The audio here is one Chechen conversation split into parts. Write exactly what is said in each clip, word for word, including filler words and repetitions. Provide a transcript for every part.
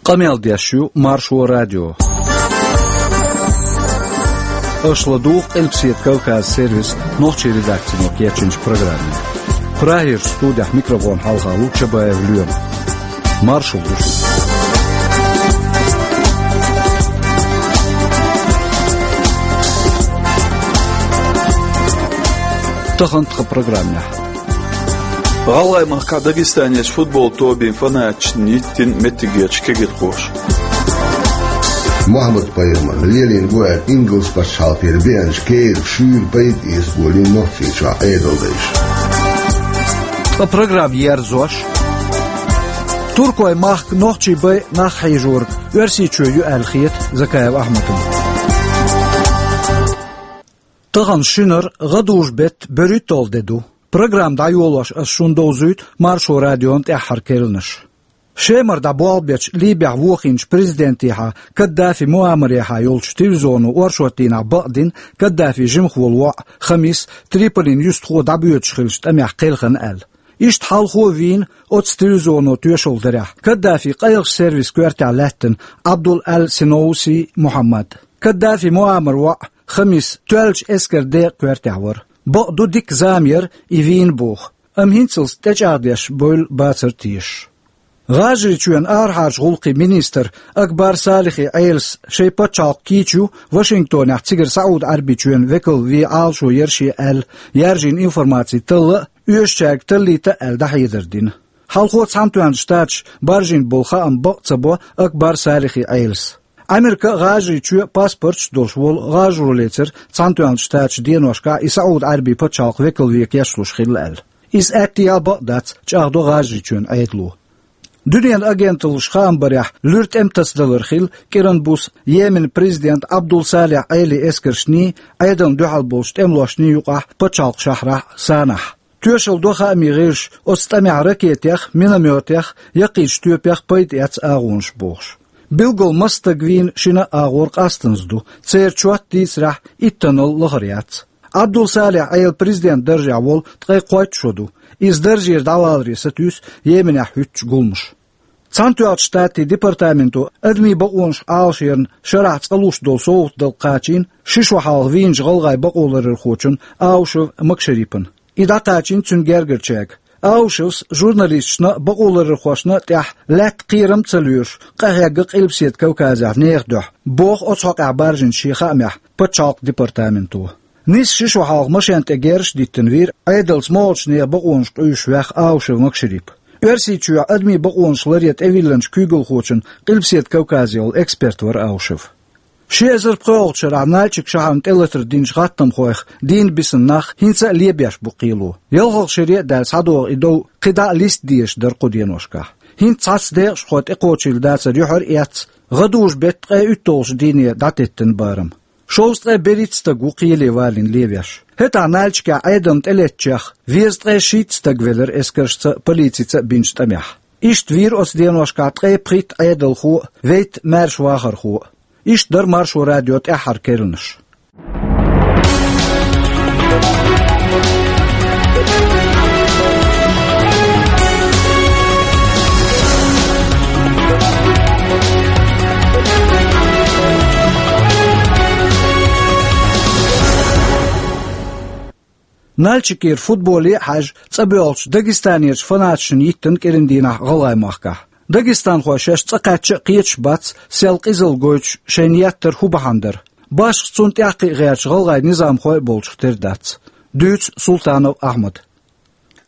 Къамел деш ю Маршо радио. Аша ладугӀу Къилбаседа Кавказ сервисан нохчийн редакцино кечйинчу программе. Прагерчу студехь микрофонна хьалха ву Чабаев Лоьма. Маршалла ду шуьга. Тахана тхан программехь. ГӀалгӀай махкахь Дагестанерчу футбол тобийн фанаташна йиттина меттигерчу кегирхоша. Мухьаммад-пайхамарна лелийна бу аьлла, ингалс пачхьалкхера беанчу керан шуьйра пайда эца болийна Нохчийчохь Ӏедалдайша. Ткъа программа ерзош. Туркойн махка нохчий бай нах хьийжориг Оьрсийчоь ю аьлла хета Закаев Ахьмадна. Тахана шинара гӀадужу-беттан берхӀитталгӀа де ду. Программа дӀайолош ас шуна довзуьйту Маршо радион тӀаьххьара керланаш. Шемара дӀаболх бечу Ливехь вохийначу президентехьа Каддафи Муаммарехьа йолчу телевизионо оршот дийнахь бакъдина Каддафин жимахволу воӀ Хамис Триполин юьстахо дӀабоьдуш хиллачу тӀамехь кхелхина аьлла. Иштта хьалхо а вийна оцу телевизионо тоьшалла дарехь Каддафин къайлахчу сервисан коьртехь лаьттина Абдул-Аль-Синоуси Мухьаммад. Каддафи Муаммар воӀ Хамис тоьллачу эскаран декъан коьртехь вара. Бакъду, дика зама яра и вийна боху, амма хӀинцалц тӀечӀагӀдеш бевлла бацара тешаш. ГӀажарийчоьнан арахьарчу гӀуллакхийн министр Акбар Салихи Ӏелас шайн пачхьалкх кийча ю Вашингтонехь цигара СаӀуд-Ӏаьрбийчоьнан векал вен Ӏалашо яра шен аьлла, яьржина информаци талла а, оьшучаьрга таллийта а аьлла дӀахьедар дина. Хьалхо Цхьаьнатоьхначу Штаташа баржийна болу хаам бакъ ца бо Акбар Салихи Ӏелас. Ӏамерка а, ГӀажарийчоь а паспорташ а долуш волу гӀажаро лецира Цхьаьнатоьхначу Штаташа деношкахь и СаӀуд-Ӏаьрбийн пачхьалкх векал вен кечлуш хилла аьлла. Иза аьттехьа а бакъ дац, чӀагӀдо ГӀажарийчоьнан Ӏедало. Дуьненан агенталлаша хаам барехь, луьра тӀеман тасадалар хилла кӀиранан буса Йеменан президент Абдул-Салих Ӏелин эскаршний, Ӏедална дуьхьал болчу тӀемалошний юкъахь пачхьалкхан шахьрахь а, Санахь. Тоьшалла до хаамийн гӀирсаша оцу тӀамехь ракетех, миномётех, яккхийчу тоьпех пайда эцна агӀонаш бохуш. Билггал масса стаг вийна шина а агӀор къастаза ду, церан чот дийцарехь иттанал лахара яц. Абдул-Салих Ӏела президентан даржехь волу ткъе кхойтта шо ду. Иза даржера дӀаваларе сатуьйсу Йеменехь хӀуьттучу гуламаша. Цхьаьнатоьхначу Штатийн департаменто адамийн бакъонаш Ӏалашъяран шарахь цкъа луш долу совгӀат дала кхачийна ши шо хьалха вийначу гӀалгӀайн бакъоларъярхочунна Аушев Макшарипана. И дӀакхачийна цуьнан гергарчаьрга. Аушевс журналисташна а, бакъоларъярхошна а тӀехь лаьтта кхерам а ца лоьруш, къахьегна Къилбаседа Кавказехь нехан дуьхьа, боху оцу хьокъехь баржийначу шен хаамехь пачхьалкхан департаменто. Нийсса ши шо хьалха машен тӀе герзаш а диттина вийра Ӏедалца могӀачу нехан бакъонаш къуьйсуш ваьхна Аушев Макшарип. Оьрсийчохь адамийн бакъонаш ларъян тӀевиллинчу куьйгалхочун Къилбаседа Кавказехула эксперт вара Аушев. Ши эзар пхоьалгӀачу шарахь Нальчик шахьарна тӀелатар динчу гӀаттамхойх дийнан бисина нах хӀинца а лебеш бу кхело. ЯлхалгӀа шаре а даьлла схьадогӀу и дов кхидӀа а листа дезаш дара кху деношкахь. ХӀинца цхьацца декъашхой тӀекхочийла дацар юьхьар а эцна, гӀадужу-беттан ткъе уьтталгӀачу дийне дӀатеттина барам. Шовзткъе берхӀитта стаг ву кхеле валийна левеш. ХӀетахь Нальчикехь Ӏедална тӀелеттачех везткъе шийтта стаг велира эскаршца а, полицица а бинчу тӀамехь. Иштта вийра оцу деношкахь ткъе пхийтта Ӏедалхо а, вейтта маьрша вахархо а. Иштта дара Маршо радион тӀаьххьара керланаш. Нальчикера футболе а хьаьжна, цӀа боьлхучу Дагестанерчу фанаташна йиттина кӀиран дийнахь ГӀалгӀай махкахь. Дагестанхой шаьш цӀа кхаьчча а кхеташ бац, сел къизалла гойтуш шайна еттар хӀун бахьана дара. Башха цунна тӀаккха а гӀерташ гӀалгӀай низамхой а болчух тера дац. Дуьйцу Султанов Ахьмада.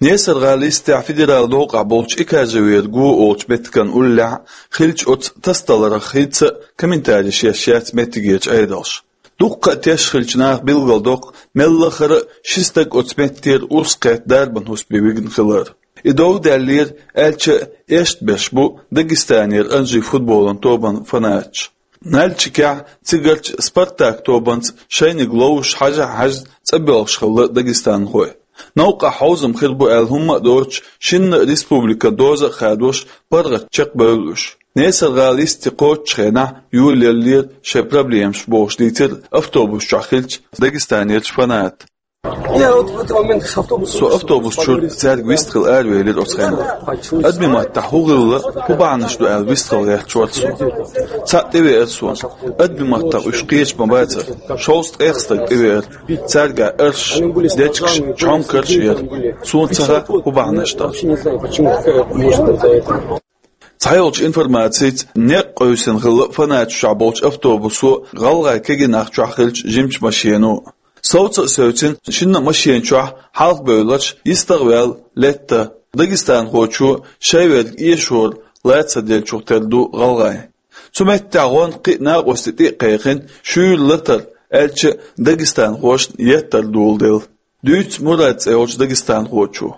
Несар-ГӀала йистехь федералан новкъахь болчу Экажевер го олучу меттиган уллехь хиллачу оцу тасадаларх хӀинца а комментареш еш яц меттигерчу Ӏедалша. Дуккха а тешна хиллачу наха билгалдоккху, мелла а хӀара ши стаг оцу меттера урс кхетта дарбан хӀусаме вигна хилар. И дов даьллера, аьлча а, эшна беш бу Дагестанера анжи футболан тобан фанаташ. Нальчикехь цигарчу «Спартак» тобанца шайниг ловзуш хьажа а хьаьжна цӀа боьлхуш хилла дагестанхой. Новкъахь хьовзам хир бу аьлла хӀумма а доцуш, шинна а республикан доза а хадош, паргӀат чекхбевлла уьш. Несар-ГӀала йисте кхочучу хенахь йолаеллера шайн проблемаш, бохуш дийцира автобус чохь хиллачу Дагестанерчу фаната. Я вот в этот момент с автобуса Со автобус чура цаьрга вистхила аравелира оцу хенахь. Адамийн маттахь хӀун хилла, хӀун бахьанаш ду аьлла вистхила гӀерташ вара со. Цхьаъ тӀевеара суна. Адамийн маттахь уьш кхеча ма бацара. Шовзткъех стаг тӀевеара. Цаьрга арш, дечкаш, чхьомкарш яра. Суна ца хаьа, хӀун бахьанаш ду. Цхьайолчу информацица, некъ къевсина хилла фанаташ чохь болчу автобусо, гӀалгӀайн кегий нах чохь хиллачу жимачу машено. Совца а севцина, шинна а машен чохь хьалха бевлларш йистах а ваьлла летта. Дагестанхочо шайн верг эшоран лаца деллачух тера ду гӀалгӀайн. Цу меттехь гӀонна кхин а накъостий тӀе а кхайкхина, шуьйра латар, аьлча а дагестанхошна еттар доладелла. Дуьйцу Мурад цӀе йолчу дагестанхочо.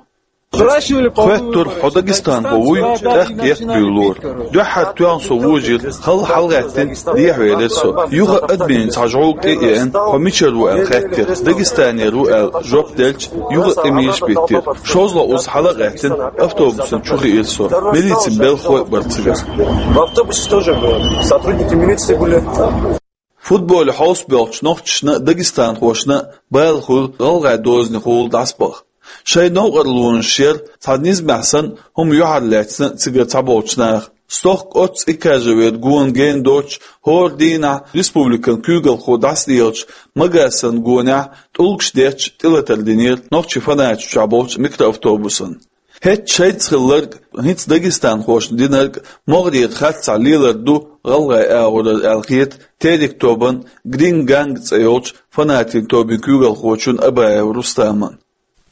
Спрашивали по Хоьттура, хьо дагестанхо вуй, тӀаккха еттабуьйлура. Дуьххьара тоьхна со вожийра, хала хьалагӀаьттина, дехьавелира со. Юха а адамийн цхьа жӀовг тӀе а еана, хьо мичара ву аьлла хаьттира. Дагестанера ву аьлла жоп делча, юха а тӀе мийша биттира. ШозлагӀа уза хьала а гӀаьттина, автобусана чу хиира со. Милицин белхалой а бара цигара. В автобусе тоже были. Сотрудники милиции были. Футболе хьовсабоьлхучу нохчашна а, дагестанхошна а бала хуьлу гӀалгӀайн дозанехула дӀасабаха. Шайн новкъарлонаш яра, цхьа низамехь санна, хӀума юьхьарлаьцна цигара цхьаболчу наха. Стохка оццу Икажевера гона гена доцуш, хӀора дийнахь республикан куьйгалхо дӀасалелачу Магасан гонехь тӀулгаш детташ тӀелатар динера нохчийн фанаташ чохь болчу микроавтобусана. ХӀетахь шайца хилларг, хӀинца дагестанхошна динарг могӀарера харцахь лелар ду гӀалгӀайн агӀорара аьлла хета Терек тобан Грин Ганг цӀе йолчу фанатийн тобин куьйгалхочун Абаев Рустаман.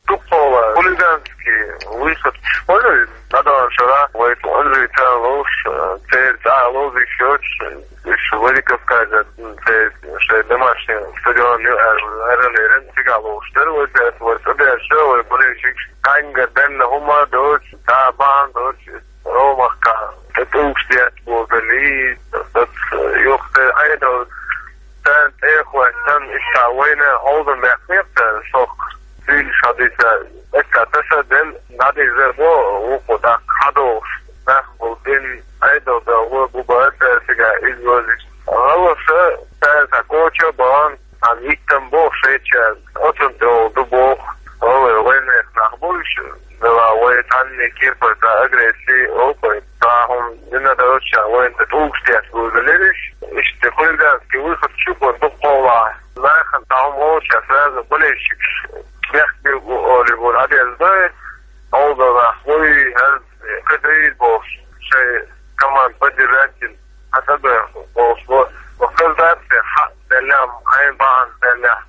Дуккха хулиганский выход, понял? Надо вчера войти, он же и тя луш, э, церь, а, лозы счётчик. Уьш Владикавказан церь, шайн домашний стадион ю аьлла, аьлла, цигахь лууш дара вай, церь, вай цӀа дерш, вай болельщикаш, кхаьнга денна хӀума доцуш, цхьа бахьана доцуш, Ромахка, тӀе тӀулгаш детта боху, лий, юха тӀе Ӏедал, царна тӀе а хӀоьттина, иштта вайна хьовзам баьккхинера цара, сох, зуьйш хьадийца, эццахь таса а делла, дӀадийзар бо, вукхо тӀаккха хьадогӀуш, нах болу дин, Ӏедал дан ло бу бара цара цигахь иза лозуш. ГӀалгӀаша цара цхьа коча а бахана, цхьа виттам боху шайчаьрга, оцунна тӀехула ду боху, гӀалгӀай вайнех нах бу уьш, дела вай цхьанне кепара цхьа агрессия, опа, цхьа хӀума дина доцуш, вайна тӀе тӀулгаш детта бузулира уьш, иштта хулиганский выход чу бо дуккха хьолахь. Нахана цхьа хӀума олуш, сразу болельщикаш бехк билла бу олий бу, Ӏадеза дай, хьовзал нах вуй, хӀара кхидийр бохуш, шайн команда поддержать дина, хьан ца бехк бохуш бу. Ва хаза дац те, хьан деллехь, хьайн бахьана деллехь.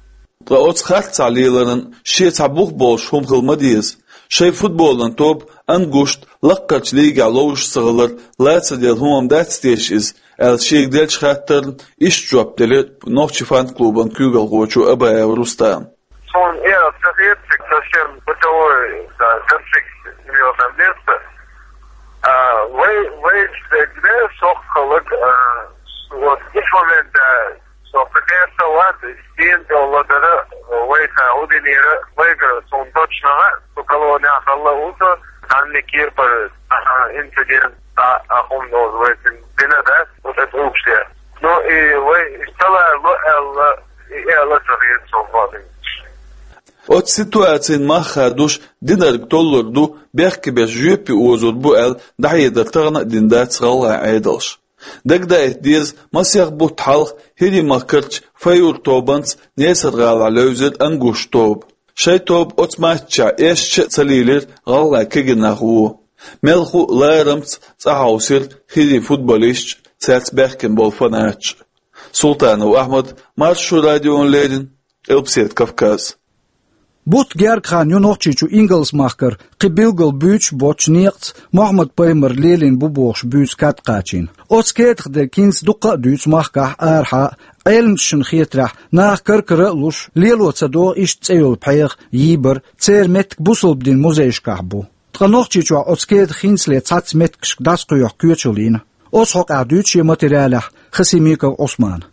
Ткъа оцу харцахь леларан шен цхьа бух болуш хӀума хила ма деза. Шайн футболан тоба Ангушт лаккхарчу лигехь ловзуш ца хилар лаца делла хӀума дац теша иза, аьлла шега деллачу хаттарна иштта жоп делира нохчийн фан-клубан куьйгалхочо Абаев Рустама. Суна э, ца хета, цига совсем бытовой, да, конфликт серьёзное место. А, вай, вай, где, соххалаг, а, вот, иш момент, да, сохха кхерса вац, стен долла дара, вай ца удинера, вайга, суна точно, су колония халла уса, танни кирпар, а, инцидент, а, а, хум доз, вай, дина, да, вот это общее. Ну, и вай, и стала, ло, элла, и элла, ца хета, сохха. Оцу ситуацин мах хадуш динарг толлур ду, бехке беш жоьпе озур бу аьлла, дӀахьедар тахана а дина дац гӀалгӀайн Ӏедалша. Дагадаийта деза, масех бутт хьалха ХӀирийн махкарчу Файур тобанца Несар-гӀалахь левзира Ангуш тоба. Шайн тоба оцу матчехь эшча а ца лийлира гӀалгӀайн кегий нах вон. Мелхо а ларамца цӀа хьовсира ХӀирийн футболисташ а, цаьрца баьхкина болу фанаташ а. Султанов Ахьмад, Маршо радиона леррина, Къилбаседа Кавказ. Бутт гергга хан ю Нохчийчу Ингалс-махкара кхин билггал буьйцуш боцчу некъаца Мохьмад-пайхамар лелийна бу бохуш буьйцу кад кхачийна. Оцу кедах дерг хӀинца дуккха а дуьйцу махкахь, арахьа а, Ӏеламчашна хетарехь, наха кар-кара а луш, лело ца догӀу иштта цӀе йолу пхьегӀа, йийбар, церан меттиг бусалба динан музейшкахь бу. Ткъа Нохчийчохь оцу кедах хӀинцале цхьацца меттигашка дӀасакхоьхьу коьчаллина. Оцу хьокъехь дуьйцу шен материалехь Хасимиков Ӏусмана.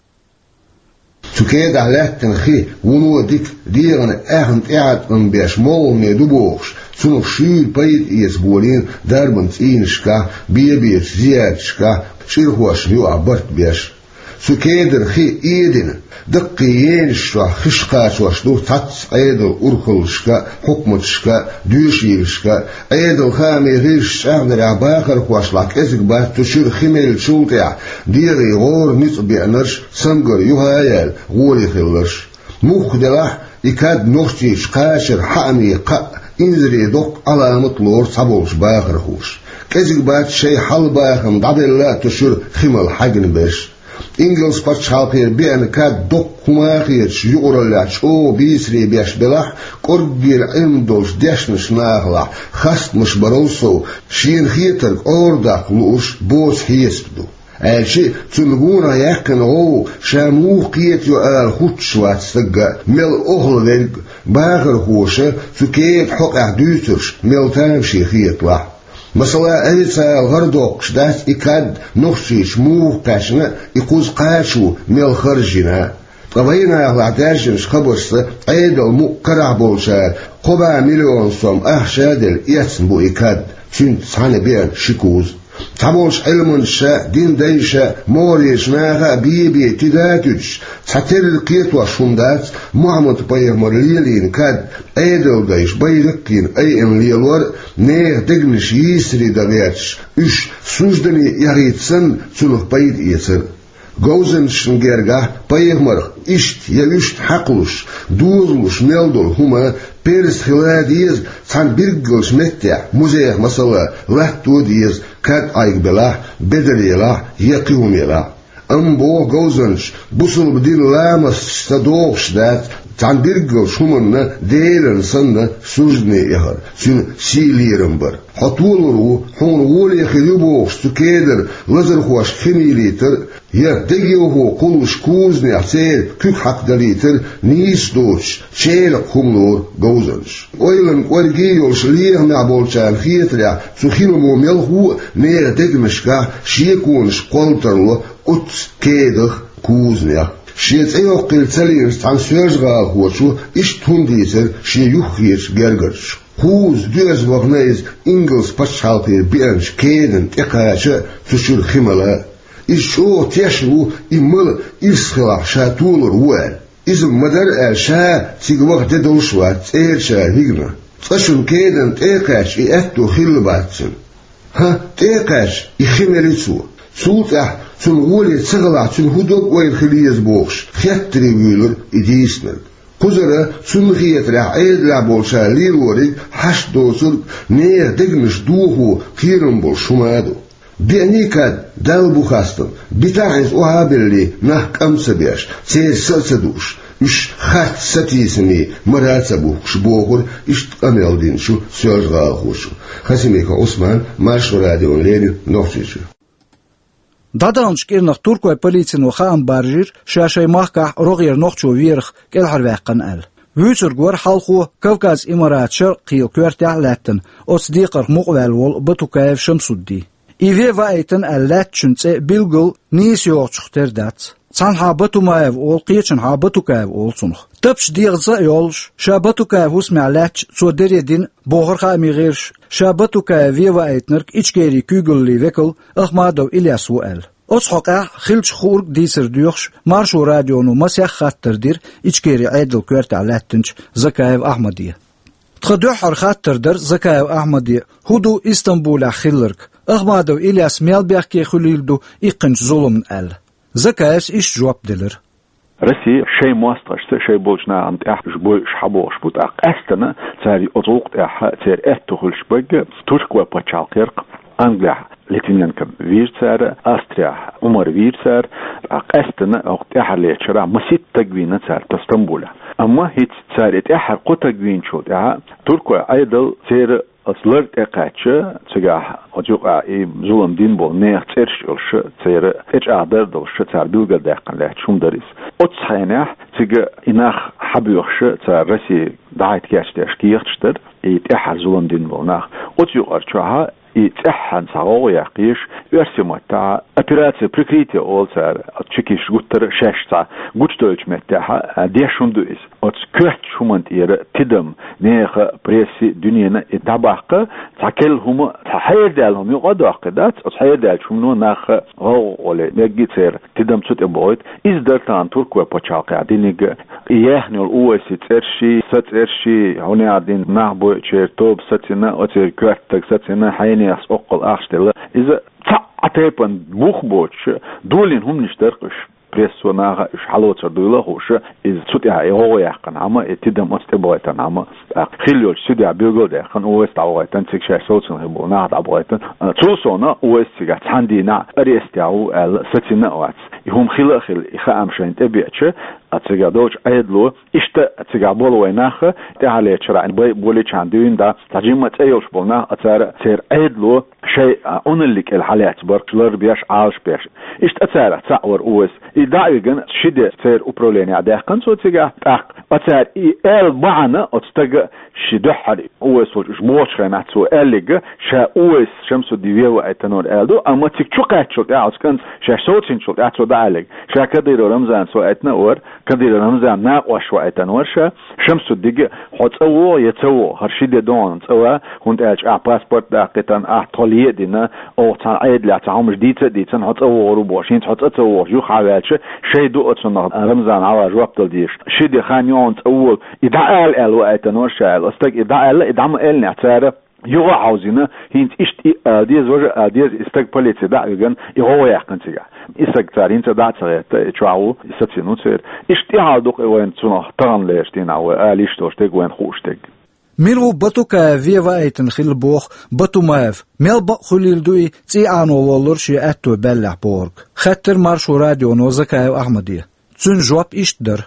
Цу кедахь лаьттина хи вуно дика, дегӀана аьхна тӀеӀаткъам беш молхаме ду бохуш, цунах шуьйра пайда эца болийна дарбан цӀийнашкахь, бен-бечу зиярташкахь, чӀирхошна юкъахь барт беш. Цу кедара хи эдина, даккхий енаш чохь хиш кхачош ду цхьацца Ӏедалан урхаллашка а, хьукматашка а, доьшийлашка а, Ӏедалан хаамийн гӀирсаша чӀагӀдарехь, бахархошлахь кӀезиг бац цу чуьра хи меллачул тӀаьхьа дегӀе гӀора ницкъ беанарш, цамгар юха а яьлла, гӀоле хилларш. Муха делахь а, и кад Нохчийчу кхачаран хьаамийн кхаъ, инзаре доккху Ӏаламат лору цхьаболчу бахархоша. КӀезиг бац шайн хьал-бахам дӀабелла а цу чуьра хи мала хьаьгна берш. Ингалс пачхьалкхера беана кад доккха хӀума хеташ юкъараллехь чӀогӀа бийцаре беш белахь а, кӀорггера Ӏилма долчу дешначу нахалахь хастамаш барал сов, шена хетарг Ӏорадаккха лууш боцу хьесап ду. Аьлча а, цунна гонах яьккхина гӀовгӀа ша муха кхетайо ала хӀуттуш вац стагга а, мел охьа верг а, бахархоша цу кедан хьокъехь дуьйцурш мел тамашийна хеталахь а. Масала, официалан гӀара доккхуш дац и кад Нохчийчу муха кхаьчна а, и кхуза кхачо мел харжа йина а. Ткъа вайнахалахь даьржинчу хабаршца, Ӏедалан мукъ карахь болчара кхо бӀе миллион сом ахча а делла, эцна бу и кад, цуьнца цхьаьна беана ши куза. Цхьаболчу Ӏилманчаша а, дин дайша а, могӀарерчу наха а бе-бе тида а туьдуш, цхьатерра кхетош хӀума дац Мухьаммад-пайхамар лелийна кад, Ӏедалан дайша байракх йина айина лелор а, нехан дегнаш йийсаре дан гӀерташ, уьш суждане эхийта санна, цунах пайда эцар а. Говзанчашна гергахь пайхамарх иштта я уьшта хьакхалуш, дозалуш мел долу хӀума перза хила а деза, цхьана билггалчу меттехь, музейх масала, латто а деза, кад Ӏайга белахь, бедар елахь я кхин хӀума елахь. Амма боху говзанчаша, бусалба динан ламасташ ца догӀуш дац, цхьана билггалчу хӀуманна Делан санна суждане эхар, цуьнан сий-лерам бар. Хьо толур ву, хьуна гӀоле хир ю бохуш, цу кедара лазархошка хи мийлийтар а, я дегайовхо кхуллуш кузанехь церан куьг хьакхадалийтар а нийса доцуш, черакъ хӀума лору говзанчаша. Ойланан кӀорге йолуш лехамехь болчарна хетарехь, цу хиламо мелхо а нехан дегнашкахь шеконаш кхолла тарло оццу кедах а, кузанех а. Шен цӀе йоккхийла ца лиъначу цхьана соьлжа-гӀалахочо иштта хӀума дийцира шен юххерчу гергарчу. Кхузза доьзна вахана иза ингалс пачхьалкхера беанчу кедана тӀекхача а, цу чуьра хи мала а. Иза чӀогӀа тешна ву, и мала ирс хилахь ша толур ву аьлла. Иза ма-дарра аьлла, ша цига ваха де долуш вац цӀерачара хӀигна. Цкъачунна кедана тӀе а кхаьчча, и аьтто хилла бац цуьнан. ХӀан, тӀе а кхаьчча, и хи мели цо. Цул тӀаьхьа цунна гӀоле ца хилахь, цуьнан хӀун дог-ойла хила еза бохуш, хеттаре вуьйлура и дийцинарг. Кхузара цунна хетарехь Ӏедалехь болчара лелориг, хьашт доцург, нехан дегнаш дохо кхерам болуш хӀума а ду. Беаний кад, Далла бу хастам, битахь иза охьа а беллий, нах кӀам ца беш, церан са а ца дууш, уьш харц сатийсаме мара а ца бухкуш, бохура иштта къамел динчу соьлжа-гӀалахочо. Хасимиков Ӏусман, Маршо радиона леррина, Нохчийчуьра. ДӀадаханчу кӀирнах туркойн полицино хаам баржийра, ша шайн махкахь рогӀера нохчо верах кӀелхьарваьккхина аьлла. Вуьйцург вара хьалхо Кавказ Имаратан шаркъ-кхелан коьртехь а лаьттина, оцу декхарх мукъаваьлла волу Батукаев Шамсудди. И вен ваийтина аьлла лаьттачун цӀе билггал нийса йогӀучух тера дац. Цхьанхьа Батумаев олу, кхечанхьа Батукаев олу цунах. Тапча дегӀаца а йолуш, ша Батукаев хӀусамехь лаьтташ цо даре дина, бохура хаамийн гӀирсаша, ша Батукаев вен ваийтинарг Ичкерин куьйгаллин векал Ахмадов Ильяс ву аьлла. Оцу хьокъехь хиллачух хуург дийцар доьхуш, Маршо радионо масех хаттар дира Ичкерин Ӏедалан коьртехь лаьттинчу Закаев Ахьмаде. Тхан дуьххьара хаттар дара Закаев Ахьмаде, хӀун ду Истамбулехь хилларг, Ахмадов Ильяс мел бехке хуьлийла ду иккхинчу зуламна аьлла. Закаевс иштта жоп делира. Россия шайн мостагӀашца, шайн болчу нахана тӀехь бойуш хьабохуш бу, тӀаккха къаьстина цара оцу гӀуллакх тӀехь церан аьтто хуьлуш берг туркойн пачхьалкхера, Англехь Литвиненко вийра цара, Австрехь Умар вийра цара, тӀаккха къаьстина хӀокху тӀаьххьарлечу шарахь масийтта стаг вийна цара тхан Стамбулехь. Амма хӀинца цара и тӀаьххьара кхо стаг вийначул тӀаьхьа туркойн Ӏедал церан оцу лар тӀе а кхаьчча, цигахь оцу юкъахь и зулам дина болу нехан цӀераш а йолуш, церан тӀечӀагӀдар а долуш, цара билгалдаьккхина лаьтташ хӀума дара иза. Оццу хенахь цига и нах хьабоьхуш, цара Россия дӀахӀитта кечдеш кехаташ дара, и тӀаьххьара зулам дина болу нах. Оцу юкъара чохь и цӀеххьана цхьа гӀовгӀа яккха езаш, оьрсийн маттахь операция «Прикрытие» олу цара, оцу чекисташа гуттара а шаьш цхьа гучудевллачу меттехь, а, деш хӀума ду иза. Оцу коьртачу хӀуманна тӀера тидам, нехан, прессин, дуьненан и дӀабаккха, цхьа керла хӀума, цхьа хьерадаьлла хӀума юкъа а доккхий дац, оцу хьерадаьллачу хӀумано нах гӀовгӀа гӀоле мегий церан тидам цу тӀе бохуьйту. Иза дара тахана туркойн пачхьалкхехь диниг а, и яьхна йолу Увайсин цӀерш а, сан цӀерш а, хӀунда аьлла дина нах бойучеран тоба сацийна, оцеран коьртаниг сацийна, хьенехаца оккхул ахча делла. Иза цхьа а тайпана бух боцуш, долийна хӀуманаш дара-кх уьш. Прессо, наха уьш хьалоцур дуйла а хууш, иза цу тӀехь и гӀовгӀа яьккхинехь-м, и тидам оцу тӀе бохуьйтинехь-м, тӀаккха хилла йолчу судьяс билгалдаьккхина, Увайс дӀабохуьйтина, цига шаьш совцийна хилла болу нах дӀабохуьйтина. А, цул совнаха Увайс цигахь цхьана дийнахь ареста а ву аьлла, сацийна а вац. И хӀума хилла а хилла, и хаам шайна тӀебеача, а, цигахь долчу Ӏедало, иштта цигахь болу вайн нах, тӀаьхьарлечу шарахь бай болийчхьана дуьйна, да, цхьа жимма цӀе йолуш болу нах, а, цара, церан Ӏедало шайн, а, Ӏуналлин кӀел хьалаьцна бара-кх, лар беш, Ӏалаш беш. Иштта царах цхьаъ вара Увайс. И дӀа а вигна, ши де церан управленехь даьккхина цо цигахь, тӀаккха оцара и аьлла бахьана, оцу стага шен дуьххьара Увайс волчу уьш бохучу хенахь цо аьлларг, ша Увайс Шамсуддин вен ваийтина вара аьлла ду, амма цига чу кхаьчначул тӀаьхьа, оцу кӀанта шаьш совцийначул тӀаьхьа цо дӀа аьлларг, ша Кадыров Рамзанас ваийтина а вара, Кадыров Рамзанан накъош ваийтина вара ша, Шамсуддига: «Хьо цӀа вогӀу я ца вогӀу, хӀара ши де догӀу цӀа ван, хӀунда аьлча ахь паспорт даккхийтина, ахь тхо ле а дина, оха цхьана Ӏедалехь цхьа хӀуманаш дийца а дийцина, хьо цӀа вогӀур ву бохуш, хӀинца хьо цӀа вогӀуш ю, хьан ваьлча, шайн ду оцунах Рамзана хьалха жоп дала дезаш. Ши де хан йогӀу цӀа вола». И дӀа ала аьлла ваийтина вара ша аьлла. Оцу стага и дӀа аьлла, и дӀа ма аьллинехь, цара юха а хьовзийна, хӀинца иштта и а ала деза, важа а ала деза, и стаг полице дӀа а вигна, и гӀовгӀа яьккхина цигахь. И стаг цара хӀинца а дӀа а ца гӀетта, и чохь ву, и сацийна ву церан. Иштта и хьал ду-кх и вайна цунах таханлерчу дийнахь вай ала йиш долуш дерг, вайна хууш дерг. Мила ву Батукаев вен ваийтина хилла боху Батумаев? Мел бакъ хуьлийла ду и цӀий Ӏано воллура шен аьтто баьллехь бохург? Хаьттира Маршо радионо Закаев Ахьмаде. Цуьнан жоп иштта дара.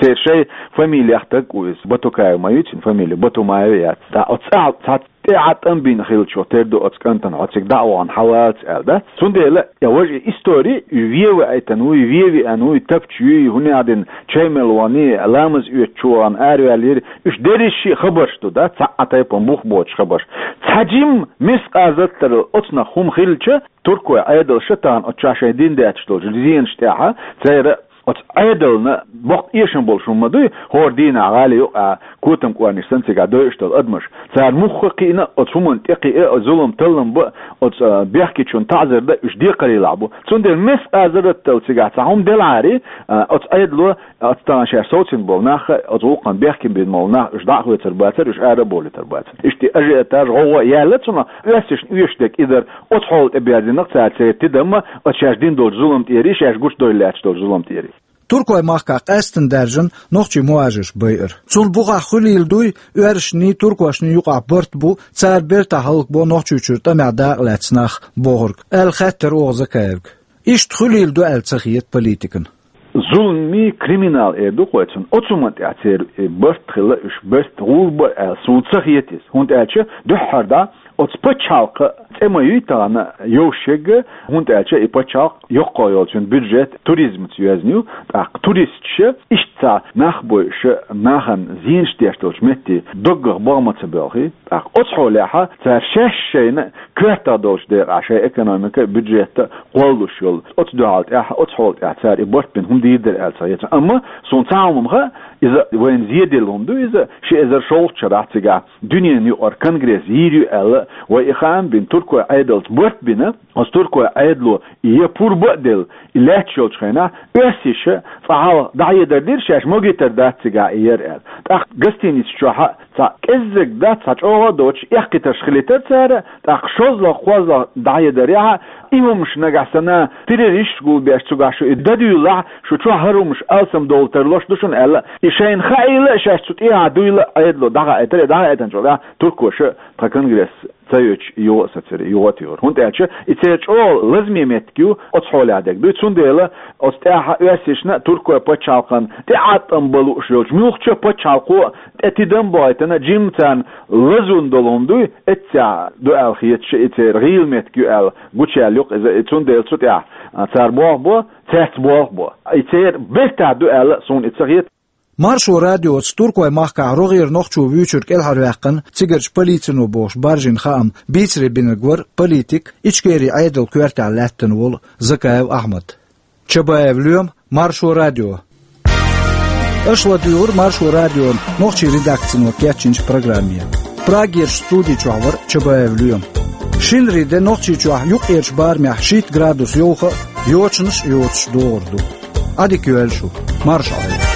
Церан шайн фамилех стаг ву иза, Батукаев ма ю цуьнан фамили, Батумаев яц. Ткъа оцу цӀахь цхьа тӀе Ӏа тӀам бина хилча, тера ду оцу кӀантана, хьо цига дӀа а вахана, хьан валац аьлла дац. Цундела, я важа, и истори, и вен ваийтина ву, и вен веана ву, и тапча юй, хӀунда аьлла дина чай мел вахана, ламаз оьцучу вахана, араваьлла йира, уьш дерриш а хабарш ду, да, цхьа а тайпана бух боцуш хабарш. Цхьа жимма мискъал зарратал оцунах хӀума хилча, туркойн Ӏедалша тахана оцу чохь шайн дина детташ долчу зенаш тӀехь, церан оцу Ӏедална боккха эшам болуш хӀума ма дуй, хӀора дийнахь гӀали юкъахь котам кӀорниш санна цигахь дойуш долу адамаш. Цара муха кхиъна, оцу хӀуманна тӀе кхиа, оцу зулам таллам бан, оцу, а, бехкечунна таӀзар дан уьш декхарийлахь бу. Цундела мискъал зарратал цигахь цхьа хӀума делахьара, а, оцу Ӏедало, оцу тахана шаьш совцийна болу нах, оцу гӀуллакхана бехке бина болу нах, уьш дӀа а хоьцур бацара, уьш ара а бовлуьйтур бацара. Иштта ажиотаж, гӀовгӀа а яьлла цунах, оьрсашна оьшург и дара, оцу хьоле тӀе берзийнарг цара церан тидам а, оцу шаьш дина долчу зулам тӀера, шаьш гучудевлла лаьтташ долчу зулам тӀера. Туркойн махкахь къаьсттина даьржина нохчийн мухӀажарш байар. Цунна бухахь хуьлийла дуй, оьрсашний, туркошний юкъахь барт бу, цара бертахь хӀаллакбо Нохчийчуьра тӀамехь дакъа лаьцна нах бохург, аьлла хаьттира оха Закаевга. Иштта хуьлийла ду аьлла ца хета политикана. Зуламий, криминал эр ду-кх вай цунах. Оцу хӀуманна тӀехь церан, э, барт хилла, уьш барт гӀур бара аьлла суна ца хета иза. ХӀунда аьлча дуьххьара дӀа оцу пачхьалкхан цӀе ма юй тахана йовшега, хӀунда аьлча и пачхьалкх йоккхагӀа йолчун бюджет туризмаца йоьзна ю, тӀаккха туристаша иштта цхьа нах бойуша, нахана зенаш деш долчу метте доггах богӀ ма ца боьлхий, тӀаккха оцу хьолехь цара шаьш шайна коьртах долчу декъехь шайн экономика, бюджет кхоллалуш йолу. Оцу дуьхьал тӀаьхьа, оцу хьоле тӀаьхьа цара и барт бина хӀума дийр дара аьлла ца хета. Амма суна цхьа хӀума ма хаьа, иза вайна зеделла хӀума ду, иза ши эзар шолгӀачу шарахь цигахь дуьненан юкъара конгресс йийр ю аьлла, вай и хаам бина, туркойн Ӏедалца барт бина, оцу туркойн Ӏедало и я пурба а делла, и лаьтташ йолчу хенахь, оьрсаша цкъа хьалха дӀахьедар дира, шаьш могийтар дац цигахь и яр аьлла. ТӀаккха гостиница чохь а цхьа кӀеззиг дац, цхьа чӀогӀа а доцуш, эккхийтарш хилийтар цара, тӀаккха шозлагӀа, кхозлагӀа дӀахьедарехь, и хӀумаш нагахь санна, террористаш гулбеш цуьнга шу и дан дуьйлахь, шу чохь хӀара хӀумаш алсам довла тарлуш ду шуна аьлла, и шайна хаийла а, шаьш цу тӀехьа дуйла а Ӏедало дӀахаийтар, и дӀахаийтинчул тӀаьхьа туркоша тхан конгресс ца йоьдуш юха а сацира, юха а туьйхира. ХӀунда аьлча и церан чӀогӀа лазаме меттиг ю, оцу хьолехь дерг дуй. Цундела оцу тӀаьхьа оьрсашна, туркойн пачхьалкхана тӀеӀаткъам бан лууш йолчу муьлххачу пачхьалкхо тӀе тидам а бохуьйтина, жимма царна лазун долу хӀума дуй, эццехь ду аьлла хеташ и церан гӀийла меттиг ю аьлла гучуяьлла ю-кх иза. И цундела цу тӀехь, а, цара болх бо, цаьрца болх бо. И церан бертахь ду аьлла суна и ца хета. Маршо радиоца Туркойн махкахь рогӀера нохчо вуьйцург кӀелхьарваьккхина цигарчу полицино бохуш баржийна хаам бийцаре бинарг вара политик, Ичкерин Ӏедалан коьртехь лаьттина волу Закаев Ахьмад. Чабаев Лоьма, Маршо радио. Аша ладуьйгӀира Маршо радион нохчийн редакцино кечйинчу программе. Прагерчу студи чохь вара Чабаев Лоьма. Шинарин де Нохчийчохь юккъерчу барамехь шийтта градус йовха а, йочанаш а йоцуш догӀур ду. Ӏадика йойла шу, марша Ӏойла.